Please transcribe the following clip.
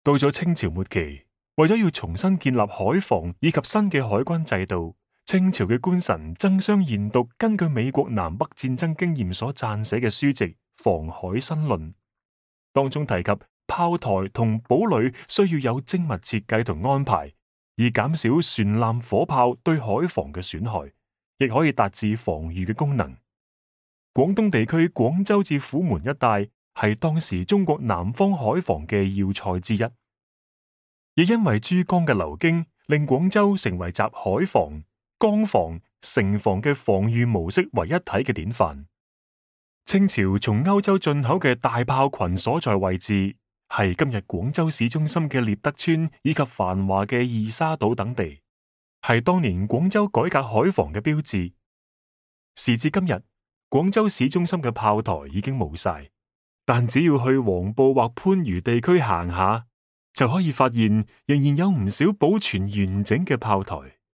到咗清朝末期，為咗要重新建立海防以及新嘅海軍制度，清朝嘅官臣爭相研讀根據美國南北戰爭經驗所撰寫嘅書籍《防海新論》，當中提及炮台同堡壘需要有精密設計同安排，以減少船艦火炮對海防嘅損害，亦可以達至防禦嘅功能。廣東地區廣州至虎門一帶係當時中國南方海防嘅要塞之一，亦因為珠江嘅流經，令廣州成為集海防、江防、城防嘅防禦模式為一體嘅典範。清朝從歐洲進口嘅大炮群所在位置，係今日廣州市中心嘅獵德村以及繁華嘅二沙島等地，係當年廣州改革海防嘅標誌。時至今日，廣州市中心嘅炮台已經冇晒，但只要去黃埔或番禺地區行下，就可以發現仍然有唔少保存完整嘅炮台。